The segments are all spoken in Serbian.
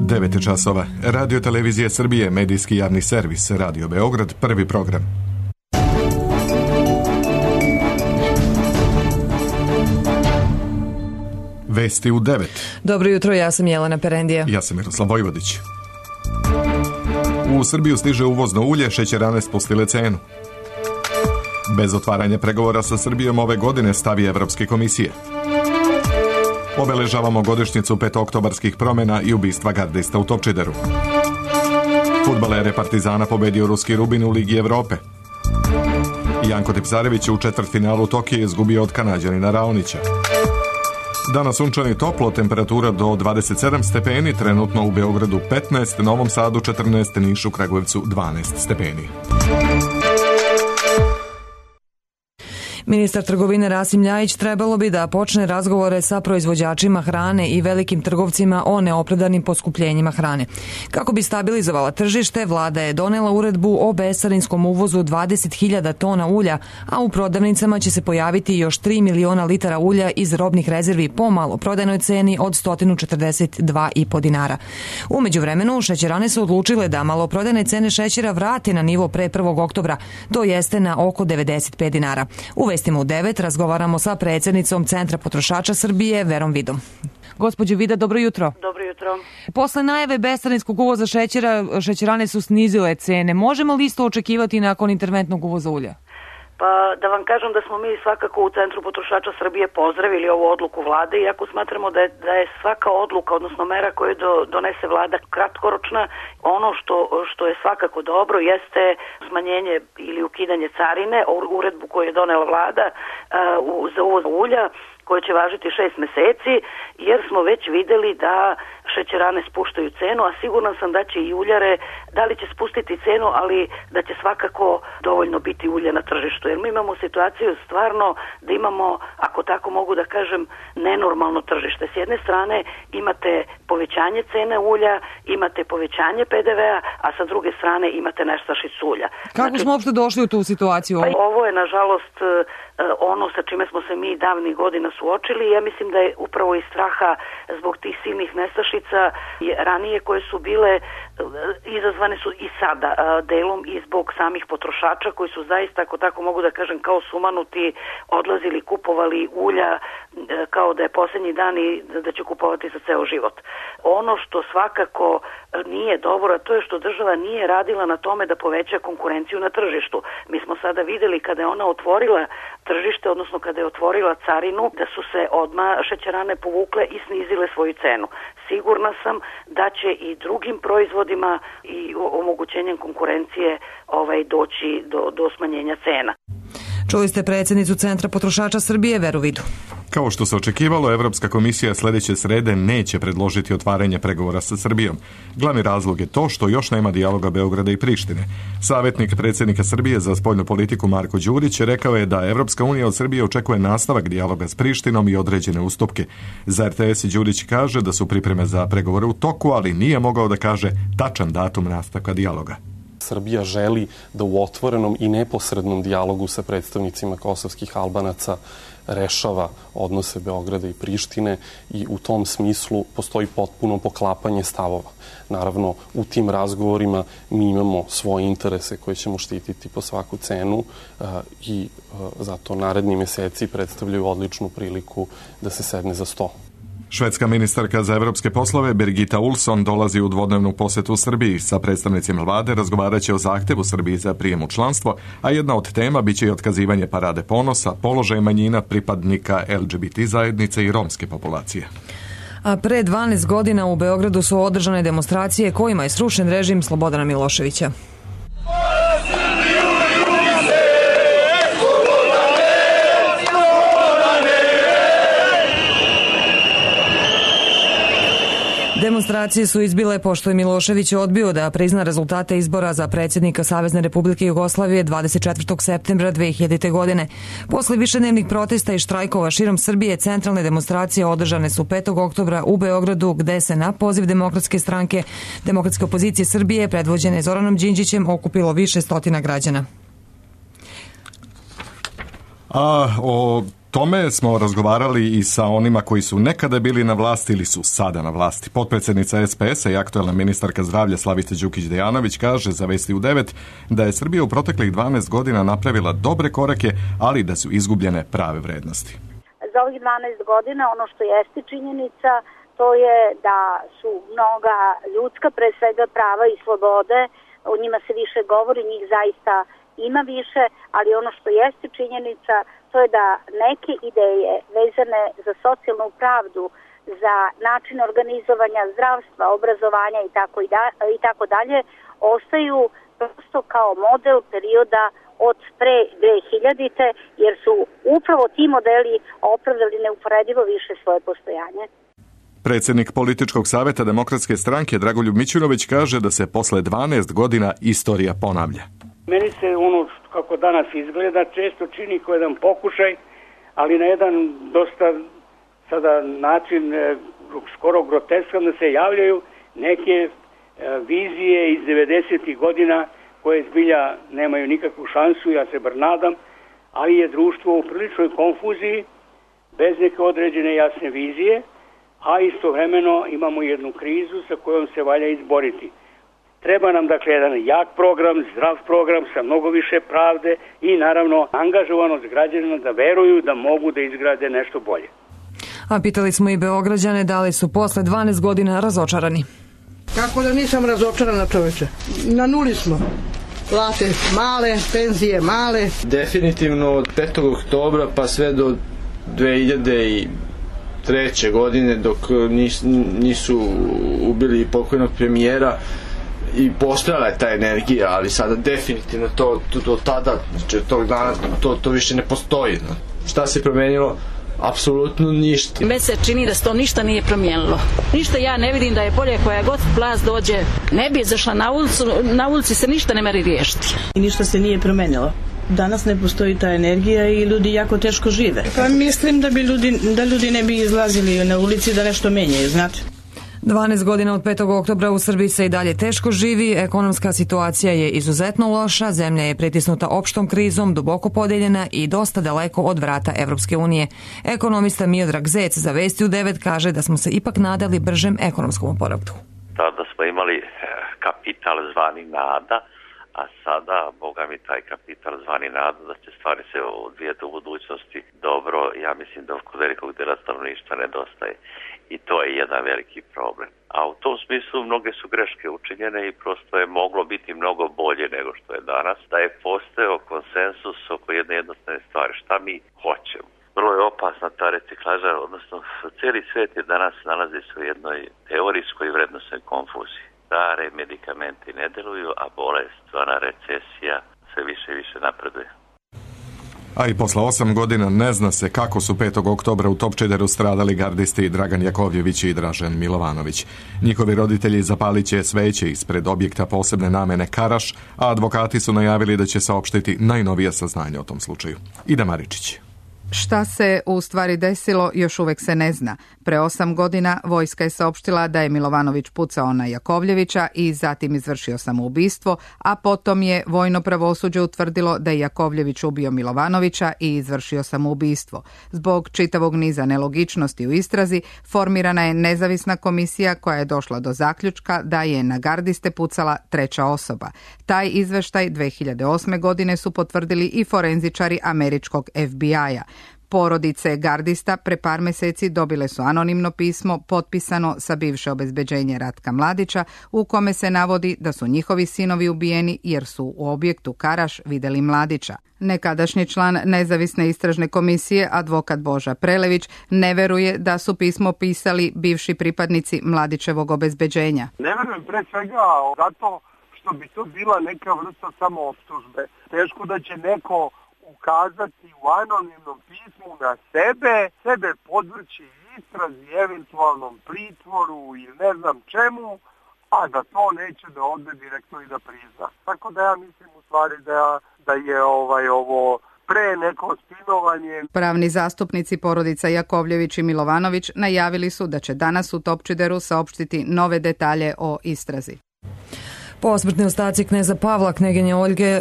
9 časova. Radio Televizija Srbije, medijski javni servis, Radio Beograd, prvi program. Vesti u 9. Dobro jutro, ja sam Jelena Perendija. Ja sam Miroslav Vojvodić. U Srbiju stiže uvozno ulje, šećerane spustile cenu. Bez otvaranja pregovora sa Srbijom ove godine, stavi Evropske komisije. Obeležavamo godišnjicu petooktobarskih promjena i ubistva gardista u Topčideru. Fudbalere Partizana pobedio ruski Rubin u Ligi Evrope. Janko Tipsarević u četvrtfinalu Tokija izgubio od Kanađanina Raonića. Danas sunčano i toplo, temperatura do 27 stepeni, trenutno u Beogradu 15, Novom Sadu 14, Nišu, Kragujevcu 12 stepeni. Ministar trgovine Rasim Ljajić trebalo bi da počne razgovore sa proizvođačima hrane i velikim trgovcima o neopravdanim poskupljenjima hrane. Kako bi stabilizovala tržište, vlada je donela uredbu o bescarinskom uvozu 20.000 tona ulja, a u prodavnicama će se pojaviti još 3 miliona litara ulja iz robnih rezervi po maloprodajnoj ceni od 142,5 dinara. U međuvremenu, šećerane su odlučile da maloprodajne cene šećera vrate na nivo pre 1. oktobra, to jeste na oko 95 dinara. U vestima u 9 razgovaramo sa predsjednicom Centra potrošača Srbije, Verom Vidom. Gospođo Vida, dobro jutro. Dobro jutro. Posle najave bescarinskog uvoza šećera, šećerane su snizile cene. Možemo li isto očekivati nakon interventnog uvoza ulja? Pa da vam kažem da smo mi svakako u Centru potrošača Srbije pozdravili ovu odluku vlade, iako smatramo da je svaka odluka, odnosno mera koju donese vlada kratkoročna. Ono što je svakako dobro jeste smanjenje ili ukidanje carine, uredbu koju je donela vlada za uvoz ulja, koje će važiti 6 meseci, jer smo već videli da šećerane spuštaju cenu, a siguran sam da će i uljare, da li će spustiti cenu, ali da će svakako dovoljno biti ulje na tržištu. Jer mi imamo situaciju stvarno da imamo, ako tako mogu da kažem, nenormalno tržište. S jedne strane imate povećanje cene ulja, imate povećanje PDV-a, a sa druge strane imate nestašicu ulja. Kako smo uopšte došli u tu situaciju? Pa ovo je, nažalost, ono sa čime smo se mi davnih godina suočili. Ja mislim da je upravo iz straha zbog tih silnih nestašica ranije koje su bile, izazvane su i sada delom i zbog samih potrošača koji su zaista, ako tako mogu da kažem, kao sumanuti, odlazili, kupovali ulja kao da je posljednji dan i da će kupovati za ceo život. Ono što svakako nije dobro, a to je što država nije radila na tome da poveća konkurenciju na tržištu. Mi smo sada videli kada je ona otvorila tržište, odnosno kada je otvorila carinu, da su se odmah šećerane povukle i snizile svoju cenu. Sigurna sam da će i drugim proizvodima i omogućenjem konkurencije doći do smanjenja cena. Čuli ste predsjednicu Centra potrošača Srbije, Veru Vidu. Kao što se očekivalo, Evropska komisija sljedeće srede neće predložiti otvaranje pregovora sa Srbijom. Glavni razlog je to što još nema dijaloga Beograda i Prištine. Savjetnik predsjednika Srbije za spoljnu politiku Marko Đurić rekao je da Evropska unija od Srbije očekuje nastavak dijaloga s Prištinom i određene ustupke. Za RTS Đurić kaže da su pripreme za pregovore u toku, ali nije mogao da kaže tačan datum nastavka dijaloga. Srbija želi da u otvorenom i neposrednom dijalogu sa predstavnicima kosovskih Albanaca rešava odnose Beograda i Prištine i u tom smislu postoji potpuno poklapanje stavova. Naravno, u tim razgovorima mi imamo svoje interese koje ćemo štititi po svaku cenu i zato naredni meseci predstavljaju odličnu priliku da se sedne za sto. Švedska ministarka za evropske poslove Birgitta Olsson dolazi u dvodnevnu posjetu u Srbiji. Sa predstavnicima vlade razgovarat će o zahtevu Srbiji za prijem u članstvo, a jedna od tema biće i otkazivanje parade ponosa, položaj manjina, pripadnika LGBT zajednice i romske populacije. A pre 12 godina u Beogradu su održane demonstracije kojima je srušen režim Slobodana Miloševića. Demonstracije su izbile pošto je Milošević odbio da prizna rezultate izbora za predsjednika Savezne Republike Jugoslavije 24. septembra 2000. godine. Posle višednevnih protesta i štrajkova širom Srbije, centralne demonstracije održane su 5. oktobra u Beogradu, gde se na poziv Demokratske stranke, Demokratske opozicije Srbije, predvođene Zoranom Đinđićem, okupilo više stotina građana. A o tome smo razgovarali i sa onima koji su nekada bili na vlasti ili su sada na vlasti. Potpredsjednica SPS-a i aktuelna ministarka zdravlja Slavica Đukić-Dejanović kaže za Vesti u 9 da je Srbija u proteklih 12 godina napravila dobre korake, ali da su izgubljene prave vrednosti. Za ovih 12 godina ono što jeste činjenica, to je da su mnoga ljudska, pre svega prava i slobode, o njima se više govori, njih zaista ima više, ali ono što jeste činjenica, to je da neke ideje vezane za socijalnu pravdu, za način organizovanja zdravstva, obrazovanja i tako dalje, ostaju prosto kao model perioda od pre 2000-te, jer su upravo ti modeli opravdali neuporedivo više svoje postojanje. Predsjednik Političkog savjeta Demokratske stranke Dragoljub Mićunović kaže da se posle 12 godina istorija ponavlja. Meni se ono kako danas izgleda često čini kao jedan pokušaj, ali na jedan dosta sada način skoro groteskan da se javljaju neke vizije iz 90. godina koje zbilja nemaju nikakvu šansu, ja se bar nadam, ali je društvo u priličnoj konfuziji, bez neke određene jasne vizije, a istovremeno imamo jednu krizu sa kojom se valja izboriti. Treba nam dakle jedan jak program, zdrav program sa mnogo više pravde i naravno angažovanost građana da veruju da mogu da izgrade nešto bolje. A pitali smo i Beograđane da li su posle 12 godina razočarani. Kako da nisam razočarana, čoveče? Na nuli smo. Plate male, penzije male. Definitivno od 5. oktobra pa sve do 2003. godine dok nisu ubili pokojnog premijera i postojala je ta energija, ali sada definitivno to do tada, znači od tog dana to više ne postoji. Šta se promenilo? Apsolutno ništa. Meni se čini da se to ništa nije promijenilo. Ništa ja ne vidim da je bolje koja god vlast dođe, ne bi izašla na ulici se ništa ne meri riješiti. I ništa se nije promenilo. Danas ne postoji ta energija i ljudi jako teško žive. Pa mislim da ljudi ne bi izlazili na ulici da nešto menjaju, znate. 12 godina od 5. oktobra u Srbiji se i dalje teško živi, ekonomska situacija je izuzetno loša, zemlja je pritisnuta opštom krizom, duboko podeljena i dosta daleko od vrata Evropske unije. Ekonomista Miodrag Zec za Vesti u 9 kaže da smo se ipak nadali bržem ekonomskom oporavku. Tada smo imali kapital zvani nada, a sada, boga mi, taj kapital zvani nada da će stvari se odvijeti u budućnosti dobro, ja mislim da kod velikog dela stanovništva nedostaje. I to je jedan veliki problem. A u tom smislu mnoge su greške učinjene i prosto je moglo biti mnogo bolje nego što je danas. Da je postojao konsensus oko jedne jednostavne stvari. Šta mi hoćemo? Vrlo je opasna ta reciklaža, odnosno cijeli svijet je danas nalazi se u jednoj teorijskoj vrednostnoj konfuziji. Stare medikamenti ne deluju, a bolest, zvana recesija, sve više i više napreduje. A i posle 8 godina ne zna se kako su 5. oktobra u Topčideru stradali gardisti Dragan Jakovljević i Dražen Milovanović. Njihovi roditelji zapalit će sveće ispred objekta posebne namene Karaš, a advokati su najavili da će saopštiti najnovija saznanja o tom slučaju. Ida Maričić. Šta se u stvari desilo još uvek se ne zna. Pre 8 godina vojska je saopštila da je Milovanović pucao na Jakovljevića i zatim izvršio samoubistvo, a potom je vojno pravosuđe utvrdilo da je Jakovljević ubio Milovanovića i izvršio samoubistvo. Zbog čitavog niza nelogičnosti u istrazi formirana je nezavisna komisija koja je došla do zaključka da je na gardiste pucala treća osoba. Taj izveštaj 2008. godine su potvrdili i forenzičari američkog FBI-a. Porodice gardista pre par meseci dobile su anonimno pismo potpisano sa bivše obezbeđenje Ratka Mladića u kome se navodi da su njihovi sinovi ubijeni jer su u objektu Karaš videli Mladića. Nekadašnji član nezavisne istražne komisije, advokat Boža Prelević, ne veruje da su pismo pisali bivši pripadnici Mladićevog obezbeđenja. Ne verujem pre svega zato što bi to bila neka vrsta samooptužbe. Teško da će neko ukazati u anonimnom pismu na sebe podvrći istrazi, eventualnom pritvoru ili ne znam čemu, a da to neće da ode direktno i da prizna. Tako da ja mislim u stvari da je ovo pre neko spinovanje. Pravni zastupnici porodica Jakovljević i Milovanović najavili su da će danas u Topčideru saopštiti nove detalje o istrazi. Posmrtni ostaci kneza Pavla, kneginje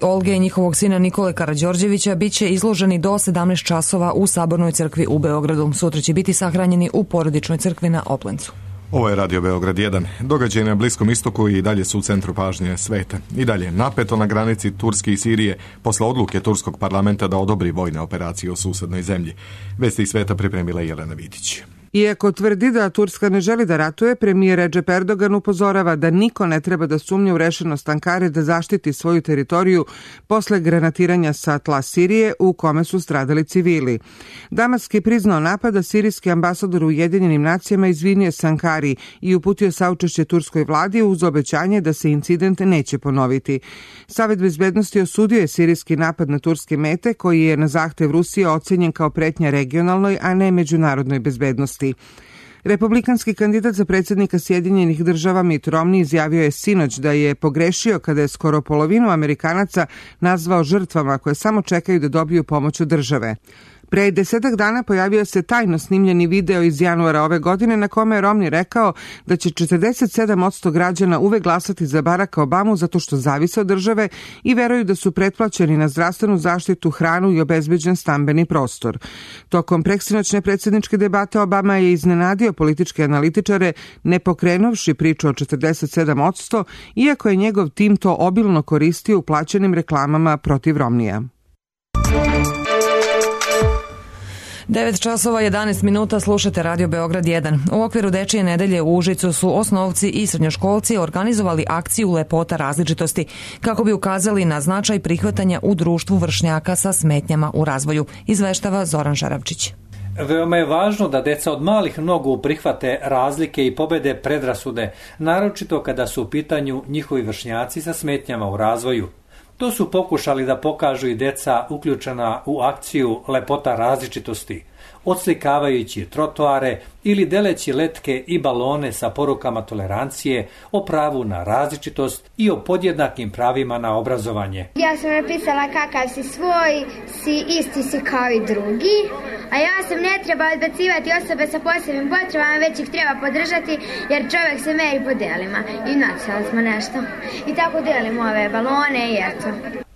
Olge i njihovog sina Nikole Karađorđevića bit će izloženi do 17 časova u Sabornoj crkvi u Beogradu. Sutra će biti sahranjeni u porodičnoj crkvi na Oplencu. Ovo je Radio Beograd 1. Događaj na Bliskom istoku i dalje su u centru pažnje sveta. I dalje napeto na granici Turske i Sirije posle odluke turskog parlamenta da odobri vojne operacije u susednoj zemlji. Vesti iz sveta pripremila Jelena Vidić. Iako tvrdi da Turska ne želi da ratuje, premijer Recep Erdogan upozorava da niko ne treba da sumnja u rešenost Ankare da zaštiti svoju teritoriju posle granatiranja sa tla Sirije u kome su stradali civili. Damask je priznao napad, a sirijski ambasador u Ujedinjenim nacijama izvinio se Ankari i uputio saučešće turskoj vladi uz obećanje da se incident neće ponoviti. Savet bezbednosti osudio je sirijski napad na turske mete, koji je na zahtev Rusije ocenjen kao pretnja regionalnoj, a ne međunarodnoj bezbednosti. Republikanski kandidat za predsjednika Sjedinjenih država Mitt Romney izjavio je sinoć da je pogrešio kada je skoro polovinu Amerikanaca nazvao žrtvama koje samo čekaju da dobiju pomoć od države. Pre 10 dana pojavio se tajno snimljeni video iz januara ove godine na kome je Romney rekao da će 47% građana uvek glasati za Baracka Obamu zato što zavise od države i veruju da su pretplaćeni na zdravstvenu zaštitu, hranu i obezbeđen stambeni prostor. Tokom preksinoćne predsjedničke debate Obama je iznenadio političke analitičare ne pokrenovši priču o 47%, iako je njegov tim to obilno koristio u plaćenim reklamama protiv Romneya. 9 časova 11 minuta, slušate Radio Beograd 1. U okviru Dečije nedelje u Užicu su osnovci i srednjoškolci organizovali akciju Lepota različitosti kako bi ukazali na značaj prihvatanja u društvu vršnjaka sa smetnjama u razvoju, izveštava Zoran Žaravčić. Veoma je važno da deca od malih nogu prihvate razlike i pobede predrasude, naročito kada su u pitanju njihovi vršnjaci sa smetnjama u razvoju. To su pokušali da pokažu i deca uključena u akciju Lepota različitosti, odslikavajući trotoare ili deleći letke i balone sa porukama tolerancije, o pravu na različitost i o podjednakim pravima na obrazovanje. Ja sam napisala kakav si svoj, isti si kao i drugi, a ja sam ne treba odbacivati osobe sa posebnim potrebama, već ih treba podržati jer čovjek se meri po delima. I napisali smo nešto. I tako delimo ove balone i eto.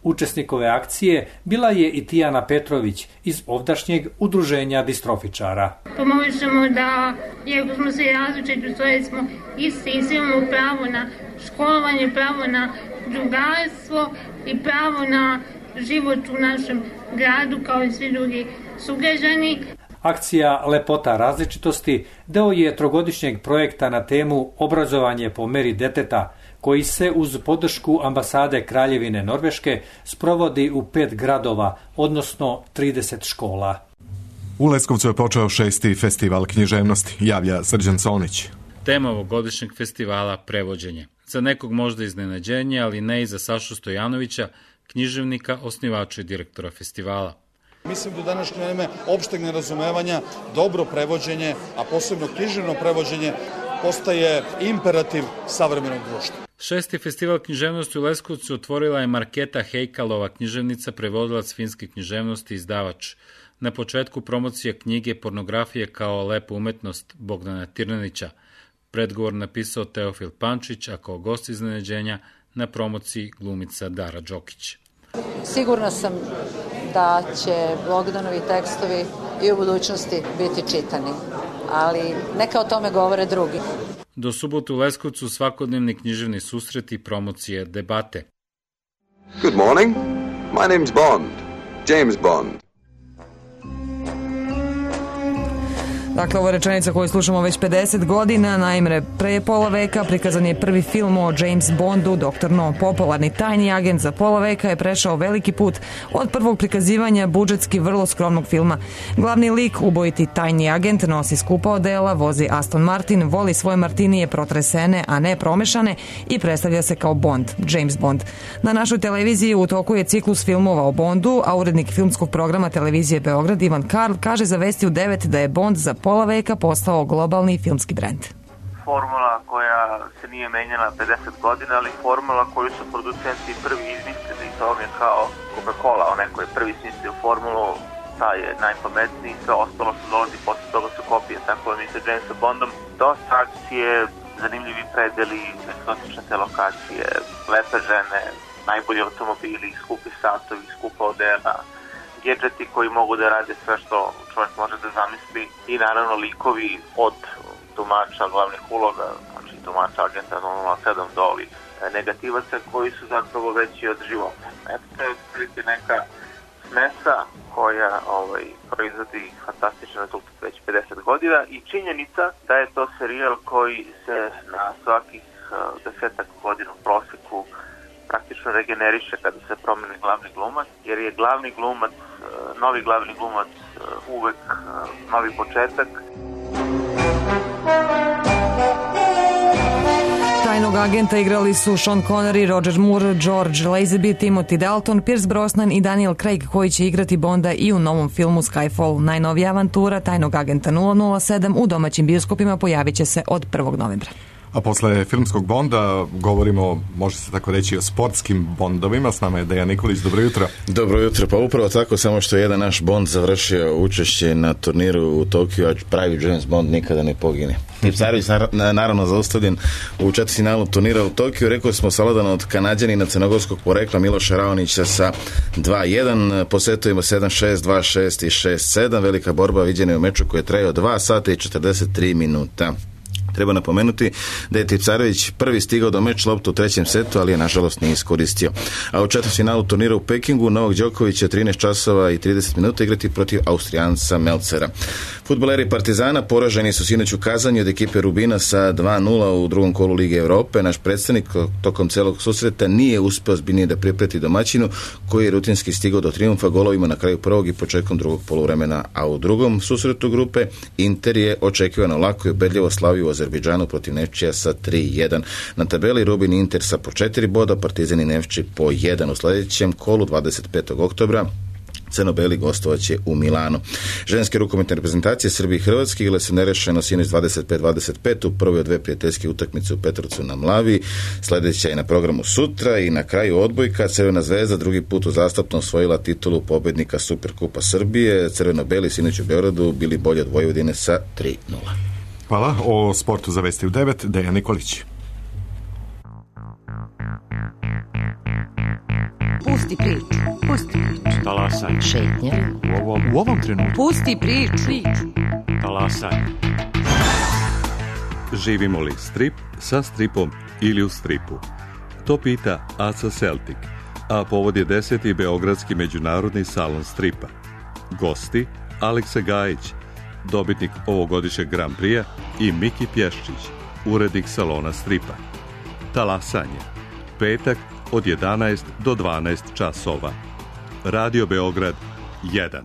Učesnikove akcije bila je i Tijana Petrović iz ovdašnjeg udruženja distrofičara. Pomožemo da, iako smo svi različiti, to smo isti i svi imamo pravo na školovanje, pravo na drugarstvo i pravo na život u našem gradu kao i svi drugi sugrađani. Akcija Lepota različitosti deo je trogodišnjeg projekta na temu Obrazovanje po meri deteta, koji se uz podršku ambasade Kraljevine Norveške sprovodi u 5 gradova, odnosno 30 škola. U Leskovcu je počeo 6. festival književnosti, javlja Srđan Sonić. Tema ovogodišnjeg festivala prevođenje. Za nekog možda iznenađenje, ali ne i za Sašu Stojanovića, književnika, osnivača i direktora festivala. Mislim da u današnje vreme opšteg nerazumevanja dobro prevođenje, a posebno književno prevođenje, postaje imperativ savremenog društva. 6. festival književnosti u Leskovcu otvorila je Marketa Hejkalova, književnica, prevodilac finske književnosti i izdavač. Na početku promocija knjige Pornografije kao lepa umetnost Bogdana Tirnanića. Predgovor napisao Teofil Pančić, a kao gost iznenađenja na promociji glumica Dara Đokić. Sigurna sam da će Bogdanovi tekstovi i u budućnosti biti čitani, ali neka o tome govore drugi. Do subotu u Leskovcu svakodnevni književni susreti, promocije, debate. Good morning. My name's Bond. James Bond. Dakle, ovo je rečenica koju slušamo već 50 godina. Naime, pre pola veka prikazan je prvi film o James Bondu, Dr. No. Popularni tajni agent za pola veka je prešao veliki put od prvog prikazivanja budžetski vrlo skromnog filma. Glavni lik, ubojiti tajni agent, nosi skupa odela, vozi Aston Martin, voli svoje martinije protresene, a ne promešane i predstavlja se kao Bond, James Bond. Na našoj televiziji u toku je ciklus filmova o Bondu, a urednik filmskog programa televizije Beograd Ivan Karl kaže za Vesti u 9 da je Bond za pola veka postao globalni filmski brend. Formula koja se nije menjala 50 godina, ali formula koju su producenti prvi izmislili, to je kao Coca-Cola, onaj koji je prvi smislio formulu, taj je najpametniji, sve ostalo što dolazi posle toga su kopije, tako je mi sa Jamesom Bondom. Dosta akcije, zanimljivi predeli, egzotične te lokacije, lepe žene, najbolji automobili, skupi satovi, skupa odela, gedžeti koji mogu da rade sve što čovjek može da zamisli i naravno likovi od tumača glavnih uloga, znači tumača agenta 007 do ovih negativaca koji su zapravo veći od života. Eto, to je otprilike neka smesa koja proizvodi fantastičan rezultat već 50 godina i činjenica da je to serijal koji se na svakih 10 godina u proseku praktično regeneriše kada se promeni glavni glumac, jer je glavni glumac, novi glavni glumac uvek novi početak. Tajnog agenta igrali su Sean Connery, Roger Moore, George Lazenby, Timothy Dalton, Pierce Brosnan i Daniel Craig koji će igrati Bonda i u novom filmu Skyfall. Najnovija avantura Tajnog agenta 007 u domaćim bioskopima pojavit će se od 1. novembra. A posle filmskog Bonda govorimo, može se tako reći, o sportskim Bondovima. S nama je Dejan Nikolić, dobro jutro. Dobro jutro, pa upravo tako, samo što je jedan naš Bond završio učešće na turniru u Tokiju, a pravi James Bond nikada ne pogine. Tipsarević naravno zaustavljen u četvrtfinalu turnira u Tokiju. Rekli smo savladan od Kanađanina crnogorskog porekla Miloša Raonića sa 2-1, posetujemo 7-6, 2-6 i 6-7. Velika borba viđena je u meču koji je trajao 2 sata i 43 minuta. Treba napomenuti da je Tipsarević prvi stigao do meč loptu u trećem setu, ali je nažalost nije iskoristio. A u četvrtfinalu turnira u Pekingu Novak Đoković će 13 časova i 30 minuta igrati protiv Austrijanca Melcera. Fudbaleri Partizana poraženi su sinoć u Kazanju od ekipe Rubina sa 2-0 u drugom kolu Lige Evrope. Naš predstavnik tokom celog susreta nije uspeo zbiljnije da pripreti domaćinu, koji je rutinski stigao do trijumfa golovima na kraju prvog i početkom drugog poluvremena, a u drugom susretu grupe Inter je očekivano lako i ubedljivo slavio u Azerbejdžanu protiv Nefčija sa 3-1. Na tabeli Rubin i Inter sa po 4 boda, Partizan i Nefči po 1. U sljedećem kolu 25. oktobra crno-beli gostovaće u Milanu. Ženske rukometne reprezentacije Srbije i Hrvatske igrale su nerešeno sinoć 25-25 u prvoj od dve prijateljske utakmice u Petrovcu na Mlavi. Sljedeća je na programu sutra i na kraju odbojka. Crvena zvezda drugi put uzastopno osvojila titulu pobednika Superkupa Srbije. Crveno-beli sinoć u Beogradu bili bolji od Vojvodine sa 3-0. Hvala. O sportu za Vesti u 9, Dejan Nikolić. Pusti priču. Pusti priču. Talasaj. Šetnja. U ovom trenutku. Pusti priču. Talasaj. Živimo li strip sa stripom ili u stripu? To pita Aca Celtic, a povod je 10. Beogradski međunarodni salon stripa. Gosti Aleksa Gajić, dobitnik ovogodišnjeg Grand Prix-a, i Miki Pješčić, urednik salona stripa. Talasanje. Petak od 11 do 12 časova. Radio Beograd 1.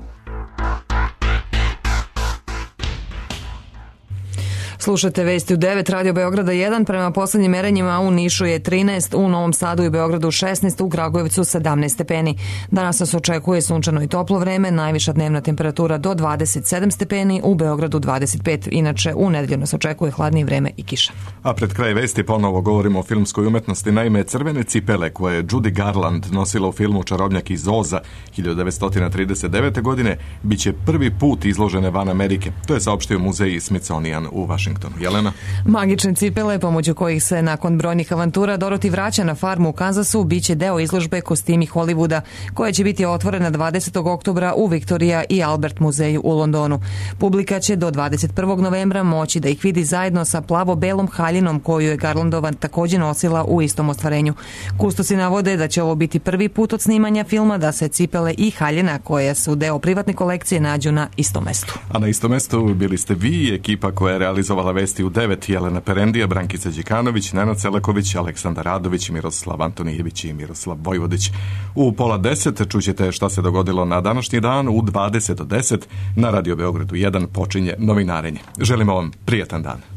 Slušate Vesti u 9, Radio Beograda 1. Prema poslednjim merenjima u Nišu je 13, u Novom Sadu i Beogradu 16, u Kragujevcu 17 stepeni. Danas nas očekuje sunčano i toplo vreme, najviša dnevna temperatura do 27 stepeni, u Beogradu 25. Inače, u nedelju nas očekuje hladnije vreme i kiša. A pred kraj vesti ponovo govorimo o filmskoj umetnosti. Naime, crvene cipele koje je Judy Garland nosila u filmu Čarobnjak iz Oza 1939. godine biće prvi put izložene van Amerike. To je saopštio muzej Smithsonian u Vašingtonu. Jelena? Magične cipele, pomoću kojih se nakon brojnih avantura Dorothy vraća na farmu u Kansasu, biće deo izložbe Kostimi Hollywooda, koja će biti otvorena 20. oktobra u Victoria i Albert muzeju u Londonu. Publika će do 21. novembra moći da ih vidi zajedno sa plavo-belom haljinom koju je Garlandova također nosila u istom ostvarenju. Kustosi navode da će ovo biti prvi put od snimanja filma da se cipele i haljina, koje su deo privatne kolekcije, nađu na istom mestu. A na istom mestu bili ste vi i ekipa koja je realizovala Vesti u 9, Jelena Perendija, Brankica Đikanović, Nenad Selaković, Aleksandar Radović, Miroslav Antonijević i Miroslav Vojvodić. U 9:30 čućete šta se dogodilo na današnji dan. U 20 do 10 na Radio Beogradu 1 počinje novinarenje. Želimo vam prijatan dan.